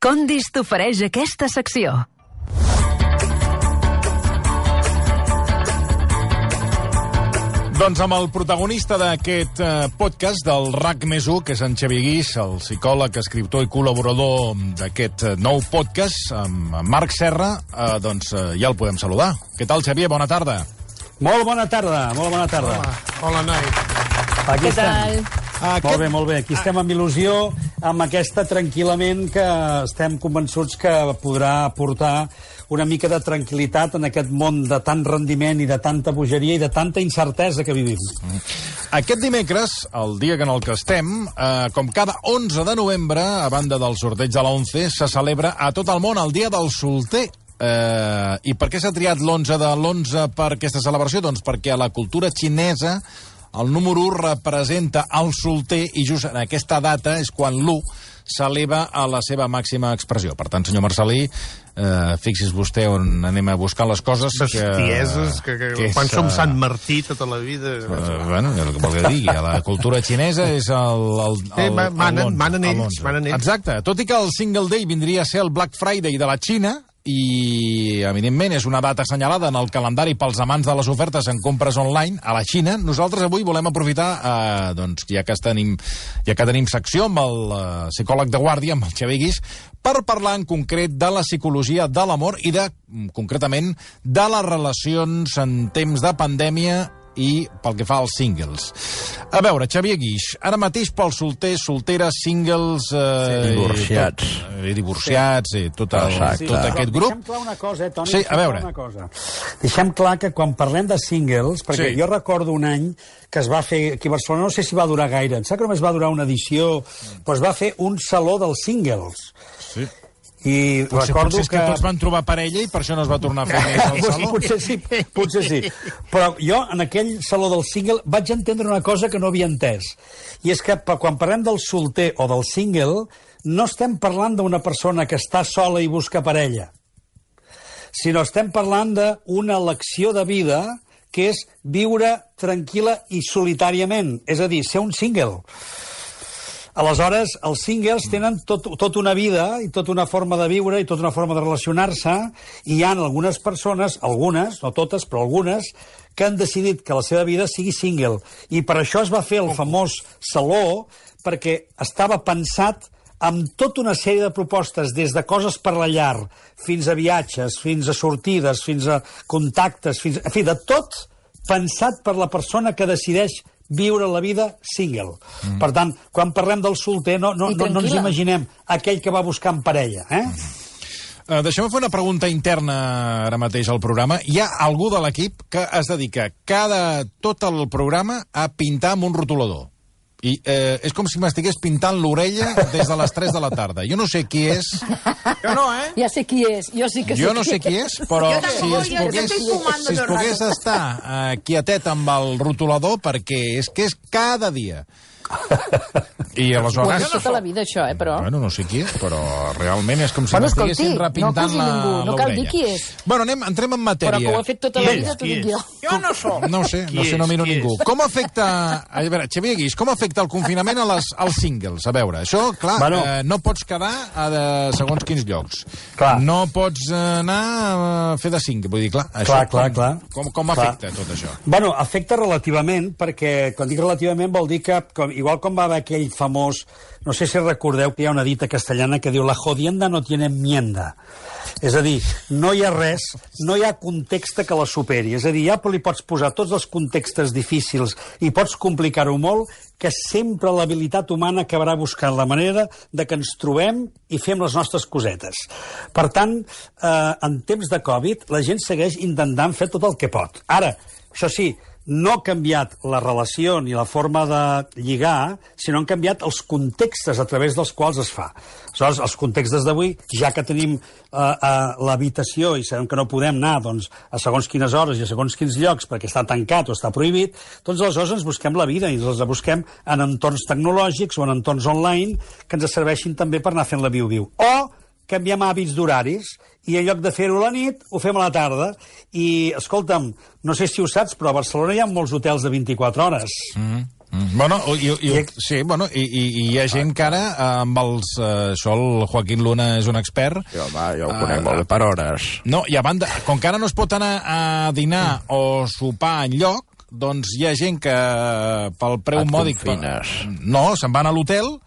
Condis t'ofereix aquesta secció. Doncs amb el protagonista d'aquest podcast del RAC+1, que és en Xavier Guix, el psicòleg, escriptor i col·laborador d'aquest nou podcast, amb Marc Serra, doncs ja el podem saludar. Què tal, Xavier? Bona tarda. Molt bona tarda, molt bona tarda. Hola, noi. Aquí estem. Molt bé. Aquí estem amb il·lusió, amb aquesta tranquil·lament que estem convençuts que podrà portar una mica de tranquil·litat en aquest món de tant rendiment i de tanta bogeria i de tanta incertesa que vivim. Aquest dimecres, el dia en el que estem, com cada 11 de novembre, a banda del sorteig de la 11, se celebra a tot el món el Dia del Solter. I per què s'ha triat l'11 de l'11 per aquesta celebració? Doncs perquè a la cultura xinesa el número 1 representa el solter i just en aquesta data és quan l'1 s'eleva a la seva màxima expressió. Per tant, senyor Marcelí, fixi's vostè on anem a buscar les coses. Bestieses, que quan som Sant Martí tota la vida... Bueno, el que vol que digui, a la cultura xinesa és manen ells. Exacte, tot i que el Single Day vindria a ser el Black Friday de la Xina, i, evidentment, és una data assenyalada en el calendari pels amants de les ofertes en compres online a la Xina. Nosaltres avui volem aprofitar, doncs, ja que tenim secció amb el psicòleg de guàrdia, amb el Xavier Guix, per parlar en concret de la psicologia de l'amor i concretament, de les relacions en temps de pandèmia i pel que fa als singles. A veure, Xavier Guix, ara mateix pels solters, solteres, singles... divorciats, tot aquest grup. Deixem clar una cosa, Toni. Sí, a veure. Deixem clar que quan parlem de singles, perquè jo recordo un any que es va fer aquí a Barcelona, no sé si va durar gaire, em sap que només va durar una edició, però es va fer un saló dels singles. Sí. I potser és que tots van trobar parella i per això no es va tornar a fer més al saló. Potser sí. Però jo, en aquell saló del single, vaig entendre una cosa que no havia entès. I és que quan parlem del solter o del single, no estem parlant d'una persona que està sola i busca parella, sinó estem parlant d'una elecció de vida que és viure tranquil·la i solitàriament, és a dir, ser un single. Aleshores, els singles tenen tota una vida i tota una forma de viure i tota una forma de relacionar-se, i hi ha algunes persones, algunes, no totes, però algunes, que han decidit que la seva vida sigui single. I per això es va fer el famós saló, perquè estava pensat amb tota una sèrie de propostes, des de coses per la llar, fins a viatges, fins a sortides, fins a contactes, en fi, de tot pensat per la persona que decideix viure la vida single. Per tant, quan parlem del solter, no ens imaginem aquell que va buscant parella, Deixem-me fer una pregunta interna ara mateix al programa. Hi ha algú de l'equip que es dedica tot el programa a pintar amb un rotulador. I és com si m'estigués pintant l'orella des de les 3 de la tarda. Jo no sé qui és. Jo no, Ja sé qui és. Jo no sé qui és, però si es pogués estar quietet amb el rotulador, perquè és que és cada dia. I aleshores... Tota la vida, això, però... Bueno, no sé qui és, però realment és com si m'estiguessin repintant l'orella. No cal dir qui és. Bueno, entrem en matèria. Però que ho ha fet tota la vida, t'ho dic jo. Jo no soc. No sé, no miro ningú. Com afecta... A veure, Xavier Guix, com afecta el confinament als singles? A veure, això, clar, no pots quedar a segons quins llocs. No pots anar a fer de single. Vull dir, clar, com afecta tot això? Bueno, afecta relativament, perquè quan dic relativament vol dir que igual com va haver aquell famós, no sé si recordeu que hi ha una dita castellana que diu la jodienda no tiene enmienda. És a dir, no hi ha res, no hi ha context que la superi. És a dir, ja li pots posar tots els contextes difícils i pots complicar-ho molt, que sempre l'habilitat humana acabarà buscant la manera de que ens trobem i fem les nostres cosetes. Per tant, en temps de Covid, la gent segueix intentant fer tot el que pot. Ara, això sí, no ha canviat la relació ni la forma de lligar, sinó han canviat els contextes a través dels quals es fa. Aleshores, els contextes d'avui, ja que tenim l'habitació i sabem que no podem anar a segons quines hores i a segons quins llocs perquè està tancat o està prohibit, doncs aleshores ens busquem la vida i ens la busquem en entorns tecnològics o en entorns online que ens serveixin també per anar fent la viu-viu. O canviem hàbits d'horaris i en lloc de fer-ho a la nit, ho fem a la tarda. I, escolta'm, no sé si ho saps, però a Barcelona hi ha molts hotels de 24 hores. Bueno, i hi ha gent que ara, amb els... Això el Joaquín Luna és un expert. Jo ho conec molt bé per hores. No, i a banda, com que ara no es pot anar a dinar o sopar enlloc, doncs hi ha gent que pel preu mòdic... No, se'n van a l'hotel,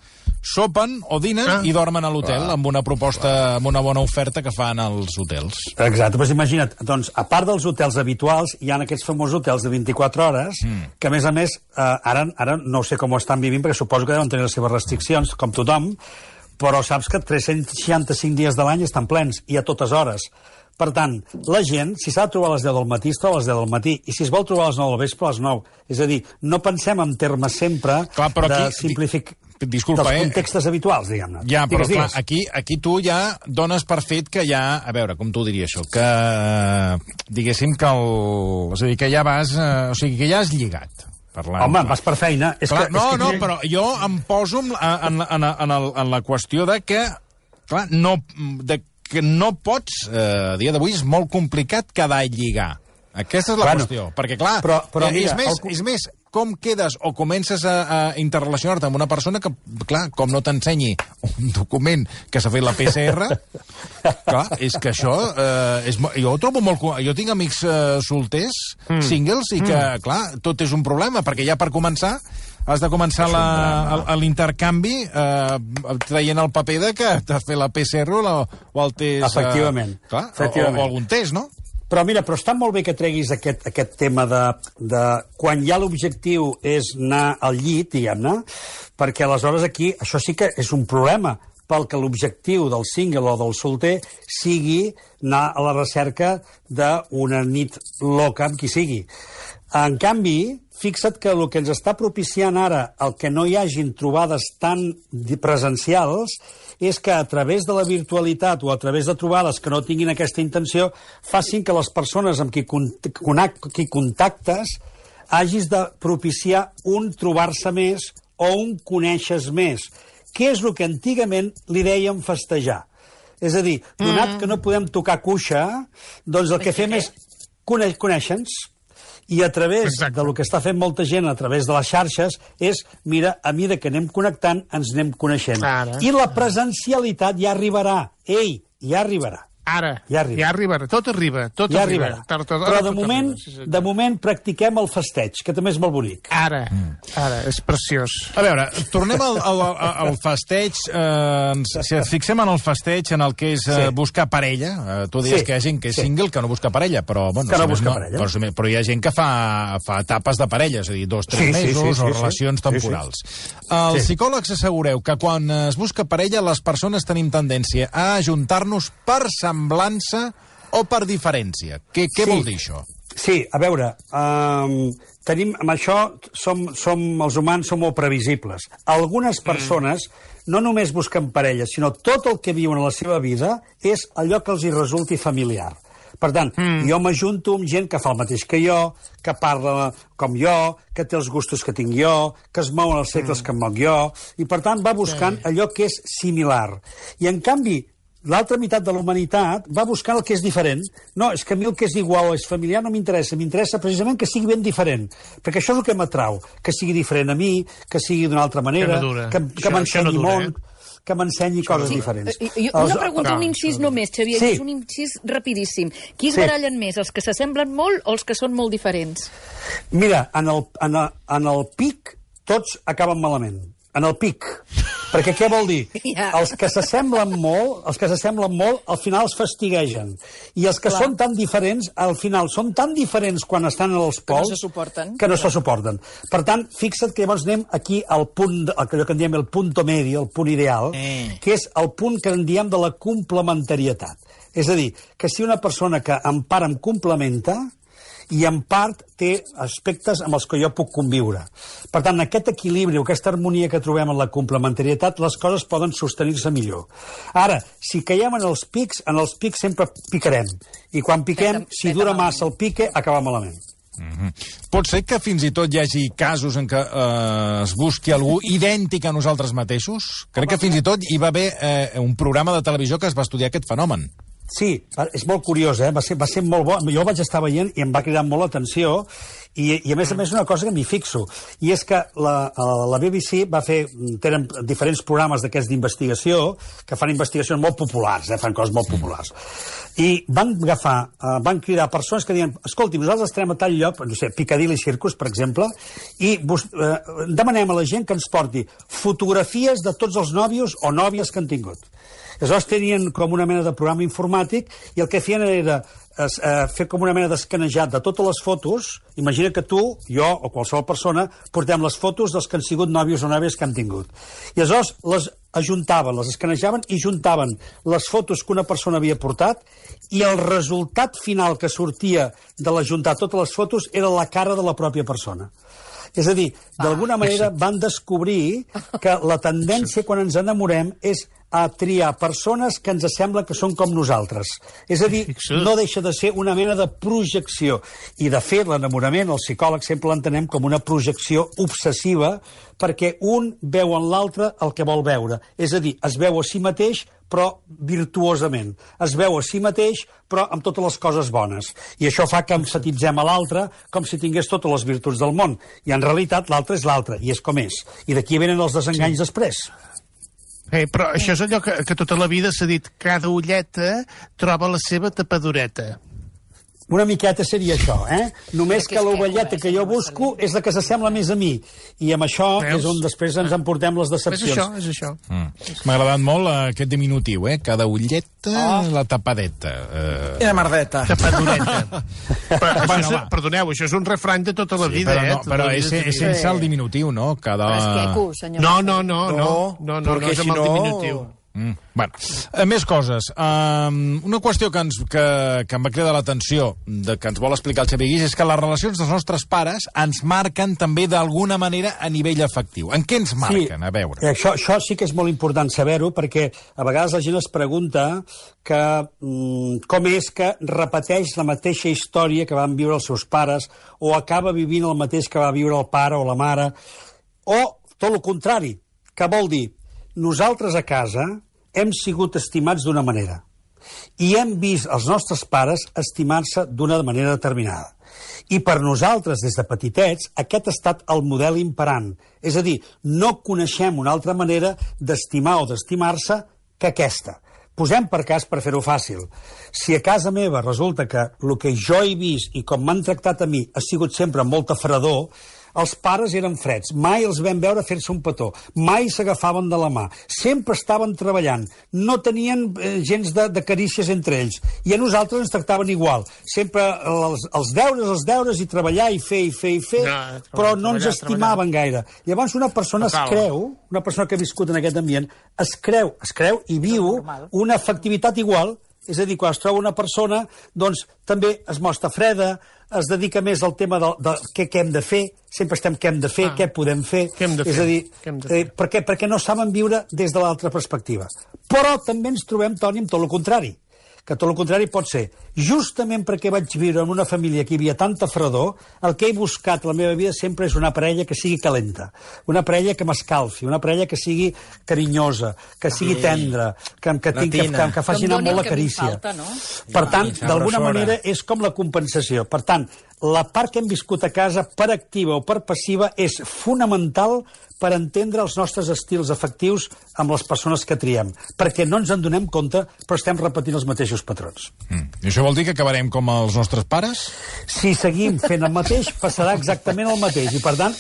sopen o dinen i dormen a l'hotel amb una proposta, amb una bona oferta que fan als hotels. Exacte, doncs imagina't, doncs, a part dels hotels habituals, hi ha aquests famosos hotels de 24 hores, que a més, ara no sé com ho estan vivint, perquè suposo que deuen tenir les seves restriccions, com tothom, però saps que 365 dies de l'any estan plens, i a totes hores. Per tant, la gent, si s'ha de trobar a les 10 del matí, es troba a les 10 del matí, i si es vol trobar a les 9 del vespre, a les 9. És a dir, no pensem en termes sempre de simplificar... Disculpa, dels contextos habituals, diguem-ne. Ja, però clar, aquí tu ja dones per fet que ja... A veure, com t'ho diria això? Que, diguéssim que és a dir, que ja vas... O sigui, que ja has lligat. Home, vas per feina. No, però jo em poso en la qüestió de que, clar, que no pots... A dia d'avui és molt complicat quedar a lligar. Aquesta és la qüestió. Perquè, clar, però mira, és més, com quedes o comences a interrelacionar-te amb una persona que, clar, com no t'ensenyi un document que s'ha fet la PCR, clar, és que això... jo ho trobo molt... Jo tinc amics solters, singles, i que, clar, tot és un problema, perquè ja per començar has de començar l'intercanvi traient el paper de que t'has fet la PCR o el test... Efectivament. O algun test, no? Però mira, està molt bé que treguis aquest tema de quan ja l'objectiu és anar al llit, diguem-ne, perquè aleshores aquí això sí que és un problema, pel que l'objectiu del single o del solter sigui anar a la recerca d'una nit loca amb qui sigui. En canvi, fixa't que el que ens està propiciant ara el que no hi hagin trobades tan presencials és que a través de la virtualitat o a través de trobades que no tinguin aquesta intenció facin que les persones amb qui contactes hagis de propiciar un trobar-se més o un conèixer més, que és el que antigament li dèiem festejar. És a dir, donat que no podem tocar cuixa, doncs el que fem és conèixer-nos. I a través del que està fent molta gent a través de les xarxes és, mira, a mesura que anem connectant, ens anem coneixent. I la presencialitat ja arribarà. Ei, ja arribarà. Ja arribarà. Tot arriba. Ja arribarà. Però de moment practiquem el festeig, que també és molt bonic. Ara, és preciós. A veure, tornem al festeig. Si ens fixem en el festeig, en el que és buscar parella. Tu dius que hi ha gent que és single que no busca parella, però hi ha gent que fa etapes de parella, és a dir, 2-3 mesos o relacions temporals. Els psicòlegs assegureu que quan es busca parella les persones tenim tendència a ajuntar-nos per semblança o per diferència. Què vol dir això? Sí, a veure, tenim, amb això els humans som molt previsibles. Algunes persones no només busquen parella, sinó tot el que viuen a la seva vida és allò que els hi resulti familiar. Per tant, jo m'ajunto amb gent que fa el mateix que jo, que parla com jo, que té els gustos que tinc jo, que es mouen els segles que em moc jo, i per tant va buscant allò que és similar. I en canvi, l'altra meitat de la humanitat va buscant el que és diferent. No, és que a mi el que és igual o és familiar no m'interessa. M'interessa precisament que sigui ben diferent. Perquè això és el que m'atrau. Que sigui diferent a mi, que sigui d'una altra manera, que m'ensenyi món, que m'ensenyi coses diferents. Una pregunta, un incís només, Xavier, és un incís rapidíssim. Qui es barallen més, els que s'assemblen molt o els que són molt diferents? Mira, en el pic tots acaben malament. En el pic. Perquè què vol dir? Els que s'assemblen molt, al final els fastiguegen. I els que són tan diferents, al final són tan diferents quan estan en els pols que no se suporten. Per tant, fixa't que llavors anem aquí al punt, allò que en diem el punto medio, el punt ideal, que és el punt que en diem de la complementarietat. És a dir, que si una persona que en part em complementa, i en part té aspectes amb els que jo puc conviure. Per tant, aquest equilibri o aquesta harmonia que trobem en la complementarietat, les coses poden sostenir-se millor. Ara, si caiem en els pics sempre picarem. I quan piquem, si dura massa el pique, acaba malament. Pot ser que fins i tot hi hagi casos en què es busqui algú idèntic a nosaltres mateixos? Crec que fins i tot hi va haver un programa de televisió que es va estudiar aquest fenomen. Sí, és molt curiós, Va ser molt bo. Jo el vaig estar veient i em va cridar molt l'atenció i a més una cosa que m'hi fixo, i és que la BBC tenen diferents programes d'aquests d'investigació que fan investigacions molt populars, fan coses molt populars. I van cridar persones que diuen, escolti, nosaltres estarem a tal lloc, no sé, Piccadilly Circus, per exemple, i demanem a la gent que ens porti fotografies de tots els nòvios o nòvies que han tingut. Aleshores tenien com una mena de programa informàtic i el que feien era fer com una mena d'escanejat de totes les fotos. Imagina que tu, jo o qualsevol persona portem les fotos dels que han sigut nòvios o nòvies que han tingut. I aleshores les ajuntaven, les escanejaven i juntaven les fotos que una persona havia portat i el resultat final que sortia de l'ajuntar totes les fotos era la cara de la pròpia persona. És a dir, d'alguna manera van descobrir que la tendència quan ens enamorem és a triar persones que ens sembla que són com nosaltres. És a dir, no deixa de ser una mena de projecció. I, de fet, l'enamorament, els psicòlegs sempre l'entenem com una projecció obsessiva perquè un veu en l'altre el que vol veure. És a dir, es veu a si mateix, però virtuosament. Es veu a si mateix, però amb totes les coses bones. I això fa que emfatitzem a l'altre com si tingués totes les virtuts del món. I, en realitat, l'altre és l'altre, i és com és. I d'aquí venen els desenganys després. Però això és allò que tota la vida s'ha dit, cada ulleta troba la seva tapadoreta. Una miqueta seria això, Només que l'ovelleta que jo busco és la que s'assembla més a mi. I amb això és on després ens emportem les decepcions. És això. M'ha agradat molt aquest diminutiu, Cada ulleta, la tapadeta. I la merdeta. Tapadoreta. Perdoneu, això és un refrany de tota la vida, Però és sense el diminutiu, no? Però és queco, senyor. No, és amb el diminutiu. Bueno, més coses. Una qüestió que em va cridar l'atenció, que ens vol explicar el Xavier Guix, és que les relacions dels nostres pares ens marquen també d'alguna manera a nivell afectiu. En què ens marquen? Sí, a veure. Això sí que és molt important saber-ho, perquè a vegades la gent es pregunta que com és que repeteix la mateixa història que van viure els seus pares o acaba vivint el mateix que va viure el pare o la mare, o tot el contrari, que vol dir nosaltres a casa hem sigut estimats d'una manera i hem vist els nostres pares estimar-se d'una manera determinada. I per nosaltres, des de petitets, aquest ha estat el model imperant. És a dir, no coneixem una altra manera d'estimar o d'estimar-se que aquesta. Posem per cas per fer-ho fàcil. Si a casa meva resulta que el que jo he vist i com m'han tractat a mi ha sigut sempre amb molta fredor, els pares eren freds, mai els vam veure fer-se un petó, mai s'agafaven de la mà, sempre estaven treballant, no tenien gens de carícies entre ells, i a nosaltres ens tractaven igual, sempre els deures i treballar i fer, però no ens estimaven gaire. Llavors una persona una persona que ha viscut en aquest ambient, es creu i viu una afectivitat igual. És a dir, quan es troba una persona, doncs també es mostra freda, es dedica més al tema de què hem de fer, sempre estem què hem de fer, què podem fer. És a dir, perquè no saben viure des de l'altra perspectiva. Però també ens trobem, Toni, amb tot el contrari. Que tot el contrari pot ser, justament perquè vaig viure en una família que hi havia tanta fredor, el que he buscat a la meva vida sempre és una parella que sigui calenta, una parella que m'escalfi, una parella que sigui carinyosa, que sigui tendra, que faci anar molt la carícia. Per tant, d'alguna manera, és com la compensació. Per tant, la part que hem viscut a casa, per activa o per passiva, és fonamental per entendre els nostres estils afectius amb les persones que triem, perquè no ens en donem compte, però estem repetint els mateixos patrons. I això vol dir que acabarem com els nostres pares? Si seguim fent el mateix, passarà exactament el mateix, i per tant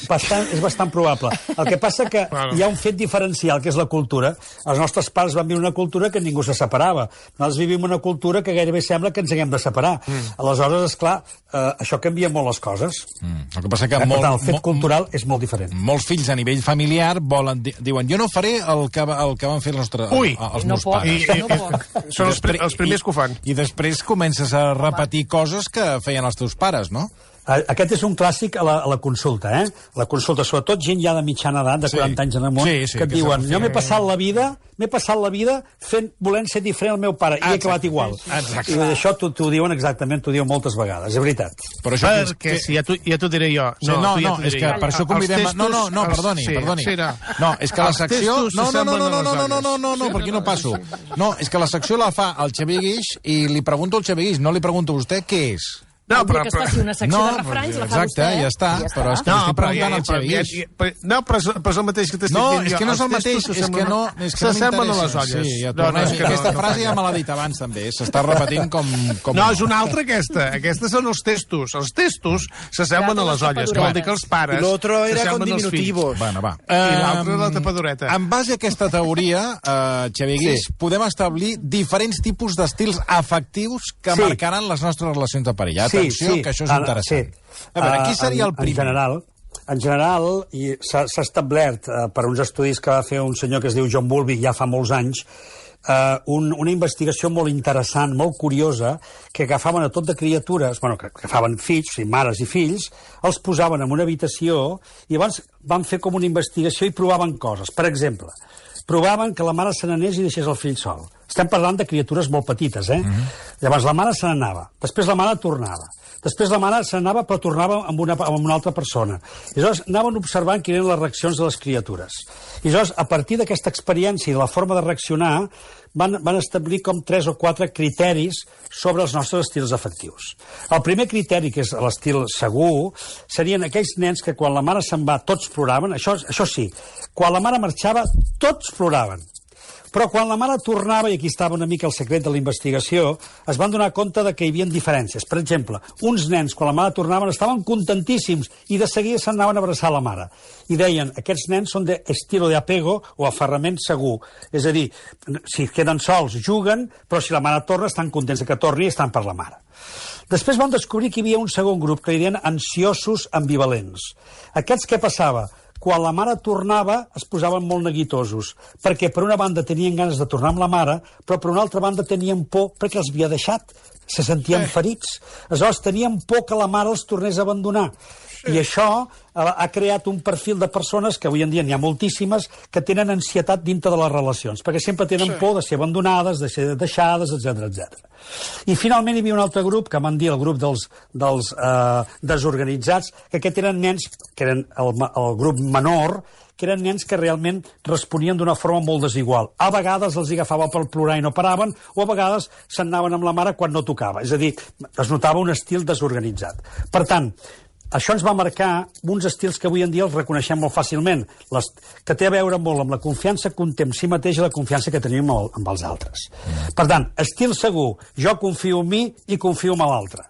és bastant probable. El que passa que hi ha un fet diferencial, que és la cultura. Els nostres pares van viure una cultura que ningú se separava. Nosaltres vivim una cultura que gairebé sembla que ens haguem de separar. Aleshores, esclar, això canvia molt les coses. El que passa que per tant, el fet cultural és molt diferent. Molts fills a nivell familiar diuen, jo no faré el que van fer els meus pares. Són els primers que ho fan. I després comences a repetir coses que feien els teus pares, no? Aquest és un clàssic a la consulta, eh? La consulta, sobretot gent ja de mitjana edat, de 40 anys en amunt, que et diuen, jo m'he passat la vida volent ser diferent al meu pare, i he acabat igual. Exacte. I això t'ho diuen exactament, t'ho diuen moltes vegades, és veritat. Perquè si ja t'ho diré jo. No, és que per això convidem... No, perdoni. No, és que la secció... No, per aquí no passo. No, és que la secció la fa el Xavier Guix i li pregunto al Xavier Guix, no li pregunto a vostè què és. No, però que es faci una secció de refranys, la fa vostè. Exacte, ja està. Però és que estic preguntant al Xavier Guix. No, però és el mateix que t'estic dient jo. No, és que no és el mateix, és que no s'assemblen a les olles. Sí, ja tornem. Aquesta frase ja me l'ha dit abans, també. S'està repetint com... No, és una altra, aquesta. Aquestes són els testos. Els testos s'assemblen a les olles, que vol dir que els pares s'assemblen als fills. Bueno, va. I l'altre és la tapadoreta. En base a aquesta teoria, Xavier Guix, podem establir diferents tipus d'estils afectius que marcaran les nostres relacions de parella. Atenció, que això és interessant. A veure, qui seria el primer? En general, s'ha establert per uns estudis que va fer un senyor que es diu John Bowlby ja fa molts anys, una investigació molt interessant, molt curiosa, que agafaven a tot de criatures, que agafaven fills, o sigui, mares i fills, els posaven en una habitació i llavors van fer com una investigació i provaven coses. Per exemple, provaven que la mare se n'anés i deixés el fill sol. Estem parlant de criatures molt petites, eh? Llavors la mare se n'anava, després la mare tornava. Després la mare se n'anava però tornava amb una altra persona. I llavors anaven observant quines eren les reaccions de les criatures. I llavors, a partir d'aquesta experiència i de la forma de reaccionar, van establir com 3 o 4 criteris sobre els nostres estils afectius. El primer criteri, que és l'estil segur, serien aquells nens que quan la mare se'n va tots ploraven, això sí, quan la mare marxava tots ploraven. Però quan la mare tornava, i aquí estava una mica el secret de la investigació, es van donar compte de que hi havia diferències. Per exemple, uns nens, quan la mare tornaven, estaven contentíssims i de seguida s'anaven a abraçar la mare. I deien, aquests nens són d'estilo de apego o aferrament segur. És a dir, si queden sols, juguen, però si la mare torna, estan contents que torni i estan per la mare. Després van descobrir que hi havia un segon grup, que li deien ansiosos ambivalents. Aquests què passava? Quan la mare tornava es posaven molt neguitosos, perquè per una banda tenien ganes de tornar amb la mare, però per una altra banda tenien por perquè els havia deixat, se sentien ferits. Aleshores tenien por que la mare els tornés a abandonar. I això ha creat un perfil de persones, que avui en dia n'hi ha moltíssimes, que tenen ansietat dintre de les relacions, perquè sempre tenen por de ser abandonades, de ser deixades, etc. I finalment hi havia un altre grup, que van dir el grup dels desorganitzats, que aquests eren nens, que eren el grup menor, que eren nens que realment responien d'una forma molt desigual. A vegades els agafava per plorar i no paraven, o a vegades se'n anaven amb la mare quan no tocava. És a dir, es notava un estil desorganitzat. Per tant, això ens va marcar uns estils que avui en dia els reconeixem molt fàcilment, que té a veure molt amb la confiança que un té en si mateix i la confiança que tenim amb els altres. Per tant, estil segur, jo confio en mi i confio en l'altre.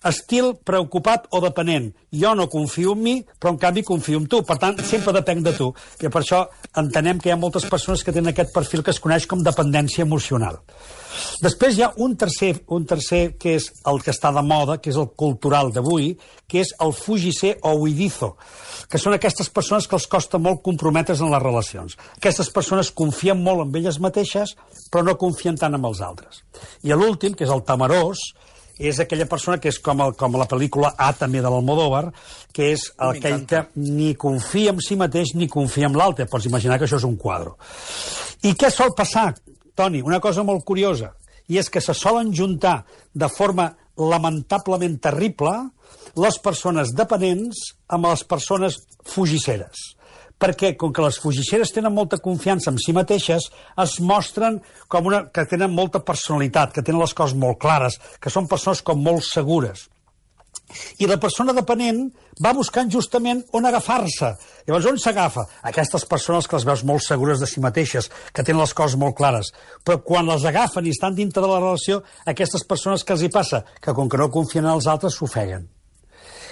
Estil preocupat o depenent, jo no confio en mi, però en canvi confio en tu. Per tant, sempre depenc de tu. I per això entenem que hi ha moltes persones que tenen aquest perfil que es coneix com dependència emocional. Després hi ha un tercer que és el que està de moda, que és el cultural d'avui, que és el fugisser o huidizo, que són aquestes persones que els costa molt comprometre's en les relacions. Aquestes persones confien molt en elles mateixes, però no confien tant en els altres. I l'últim, que és el temerós, és aquella persona que és com la pel·lícula A, també, de l'Almodóvar, que és aquell que ni confia en si mateix ni confia en l'altre. Pots imaginar que això és un quadre. I què sol passar, Toni? Una cosa molt curiosa, i és que se solen juntar de forma lamentablement terrible les persones dependents amb les persones fugisseres. Perquè, com que les fugisseres tenen molta confiança en si mateixes, es mostren com que tenen molta personalitat, que tenen les coses molt clares, que són persones com molt segures. I la persona dependent va buscant justament on agafar-se. Llavors, on s'agafa? Aquestes persones que les veus molt segures de si mateixes, que tenen les coses molt clares. Però quan les agafen i estan dintre de la relació, aquestes persones que els hi passa? Que com que no confien en els altres, s'ofeguen.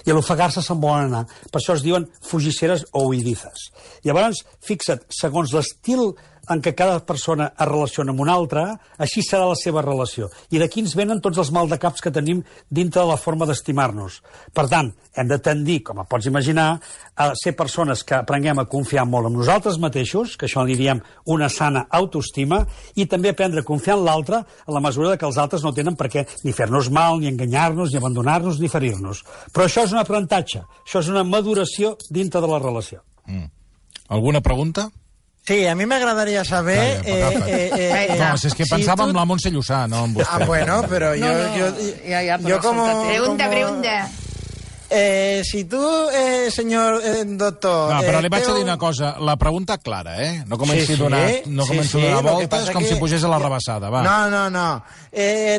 I a l'ofegar-se se'n volen anar. Per això es diuen fugisseres o huidizes. Llavors, fixa't, segons l'estil en què cada persona es relaciona amb una altra, així serà la seva relació. I d'aquí ens venen tots els maldecaps que tenim dintre de la forma d'estimar-nos. Per tant, hem de tendir, com pots imaginar, a ser persones que aprenguem a confiar molt en nosaltres mateixos, que això li diem una sana autoestima, i també aprendre a confiar en l'altre en la mesura que els altres no tenen per què ni fer-nos mal, ni enganyar-nos, ni abandonar-nos, ni ferir-nos. Però això és un aprenentatge, això és una maduració dintre de la relació. Alguna pregunta? Sí, a mí me agradaría saber... no, es que pensaba en la Montse Llussà, no en vostè. Bueno, pero yo como... Pregunta. Si tú, señor doctor... No, però li vaig a dir una cosa. La pregunta clara, No comenci a donar voltes com si pugés a la rebassada, va. No.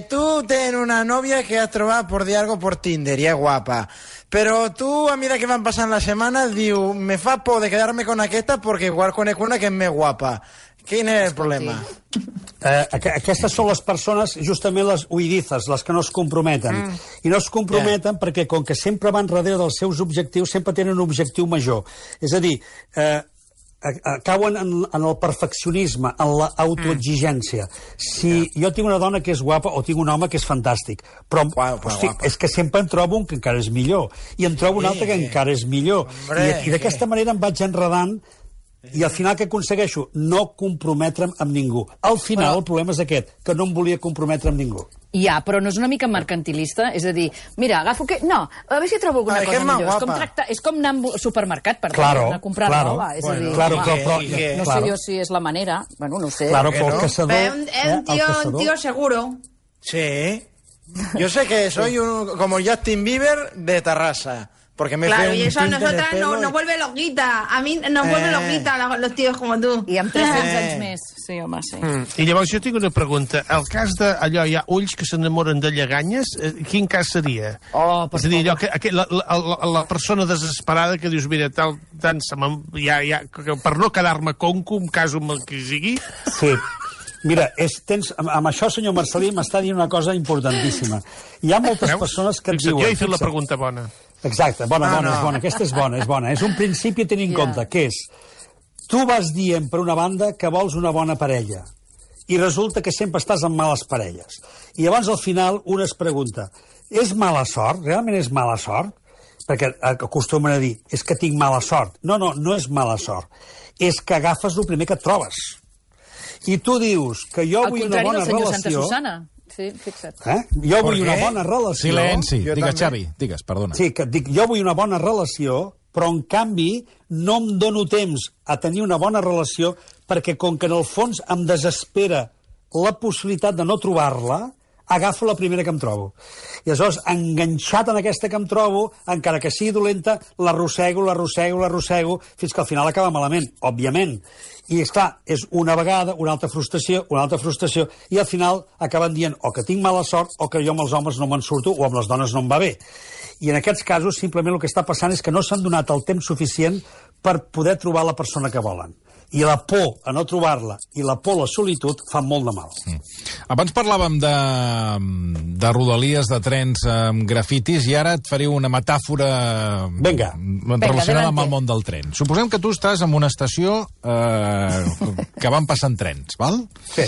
Tú tienes una novia que has trobat por dir algo por Tinder y es guapa. Pero tú, a medida que van passant les setmanes, diu, me fa por de quedarme con aquesta porque igual conec una que és més guapa. Quin és el problema? Aquestes són les persones, justament les huidizes, les que no es comprometen. I no es comprometen perquè, com que sempre van darrere dels seus objectius, sempre tenen un objectiu major. És a dir, cauen en el perfeccionisme, en l'autoexigència. Si jo tinc una dona que és guapa o tinc un home que és fantàstic, però hosti, és que sempre en trobo un que encara és millor, i en trobo un altre que encara és millor. I d'aquesta manera em vaig enredant, i al final què aconsegueixo? No comprometre'm amb ningú. Al final el problema és aquest, que no em volia comprometre amb ningú. Ja, però no és una mica mercantilista? És a dir, mira, agafo que... No, a veure si trobo alguna cosa millor. És com anar al supermercat, per tant, a comprar roba. És a dir, no sé jo si és la manera. Bueno, no sé. Claro, però el caçador... Un tío seguro. Sí. Yo sé que soy como Justin Bieber de Terrassa. Porque me claro, y eso a nosotras nos vuelve loquita. A mí nos vuelve loquita los tíos como tu. I amb 300 anys més. Sí, home, sí. I llavors jo tinc una pregunta. El cas d'allò, hi ha ulls que s'enamoren de lleganyes, quin cas seria? És a dir, allò que la persona desesperada que dius, mira, tant per no quedar-me conco, un cas amb el que sigui... Sí. Mira, amb això, senyor Marcelí, m'està dient una cosa importantíssima. Hi ha moltes persones que et diuen... Jo he fet la pregunta bona. Exacte, bona, aquesta és bona. És un principi a tenir en compte, que és... Tu vas dient, per una banda, que vols una bona parella, i resulta que sempre estàs amb males parelles. I llavors, al final, un es pregunta, és mala sort? Realment és mala sort? Perquè acostumen a dir, és que tinc mala sort. No és mala sort. És que agafes el primer que et trobes. I tu dius que jo vull una bona relació... Santa Susana. Sí, fixa't. Jo vull una bona relació... Silenci. Digues, Xavi. Digues, perdona. Sí, que dic, jo vull una bona relació, però en canvi no em dono temps a tenir una bona relació perquè com que en el fons em desespera la possibilitat de no trobar-la, agafo la primera que em trobo. I aleshores, enganxat en aquesta que em trobo, encara que sigui dolenta, l'arrossego, fins que al final acaba malament, òbviament. I, esclar, és una vegada, una altra frustració, i al final acaben dient o que tinc mala sort o que jo amb els homes no me'n surto o amb les dones no em va bé. I en aquests casos, simplement el que està passant és que no s'han donat el temps suficient per poder trobar la persona que volen. I la por a no trobar-la i la por a la solitud fan molt de mal. Abans parlàvem de rodalies, de trens amb grafitis, i ara et faré una metàfora relacionada amb el món del tren. Suposem que tu estàs en una estació que van passant trens, val? Sí.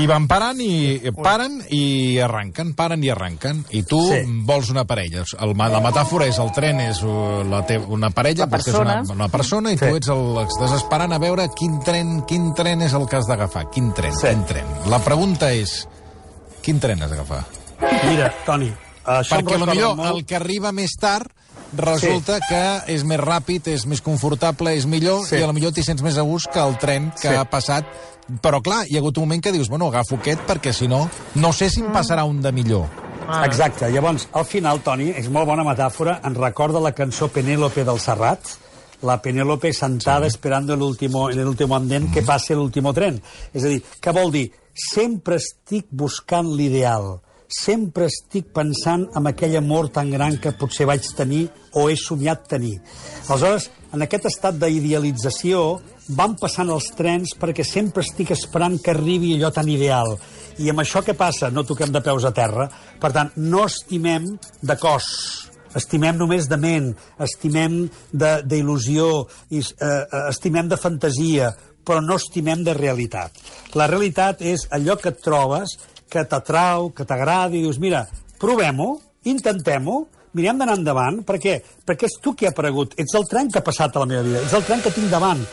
I van paren i arranquen, i tu vols una parella. La metàfora és el tren és una parella, vostè és una persona, i tu estàs esperant a veure quin tren és el que has d'agafar. Quin tren? La pregunta és, quin tren has d'agafar? Mira, Toni, perquè potser el que arriba més tard resulta que és més ràpid, és més confortable, és millor, i potser t'hi sents més a gust que el tren que ha passat. Però clar, hi ha hagut un moment que dius, bueno, agafo aquest perquè si no sé si em passarà un de millor. Exacte, llavors, al final, Toni, és molt bona metàfora, ens recorda la cançó Penélope del Serrat, la Penélope sentada esperando en el último andén que passe l'último tren. És a dir, què vol dir? Sempre estic buscant l'ideal. Sempre estic pensant en aquell amor tan gran que potser vaig tenir o he somiat tenir. Aleshores, en aquest estat d'idealització van passant els trens perquè sempre estic esperant que arribi allò tan ideal. I amb això què passa? No toquem de peus a terra. Per tant, no estimem de cos. Estimem només de ment, estimem d'il·lusió, estimem de fantasia, però no estimem de realitat. La realitat és allò que et trobes, que t'atrau, que t'agrada, i dius, mira, provem-ho, intentem-ho, mirem d'anar endavant, perquè és tu qui ha aparegut, ets el tren que ha passat a la meva vida, ets el tren que tinc davant.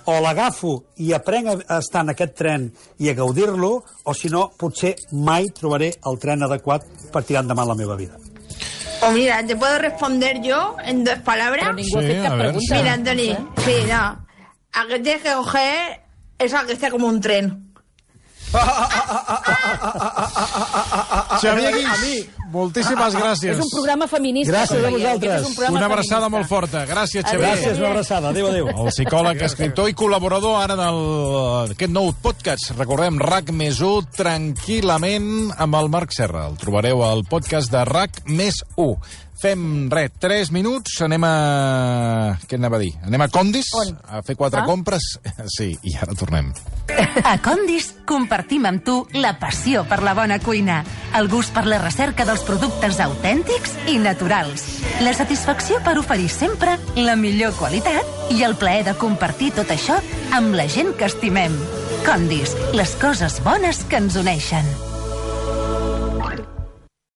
O l'agafo i aprenc a estar en aquest tren i a gaudir-lo, o si no, potser mai trobaré el tren adequat per tirar endavant la meva vida. O mira, ¿te puedo responder yo en 2 palabras? Pero ningú ha fet cap pregunta. Mira, Antoni, sí, no. A que tienes que coger es a que esté como un tren. Xavier Guix, moltíssimes gràcies. És un programa feminista. Gràcies a vosaltres. Una abraçada molt forta. Gràcies, Xavier. Gràcies, una abraçada. Adéu, adéu. El psicòleg, escriptor i col·laborador ara d'aquest nou podcast. Recordem, RAC+1, tranquil·lament, amb el Marc Serra. El trobareu al podcast de RAC+1. Fem, 3 minuts, anem a... Què anava a dir? Anem a Condis, a fer 4 compres. Sí, i ara tornem. A Condis compartim amb tu la passió per la bona cuina, el gust per la recerca dels productes autèntics i naturals, la satisfacció per oferir sempre la millor qualitat i el plaer de compartir tot això amb la gent que estimem. Condis, les coses bones que ens uneixen.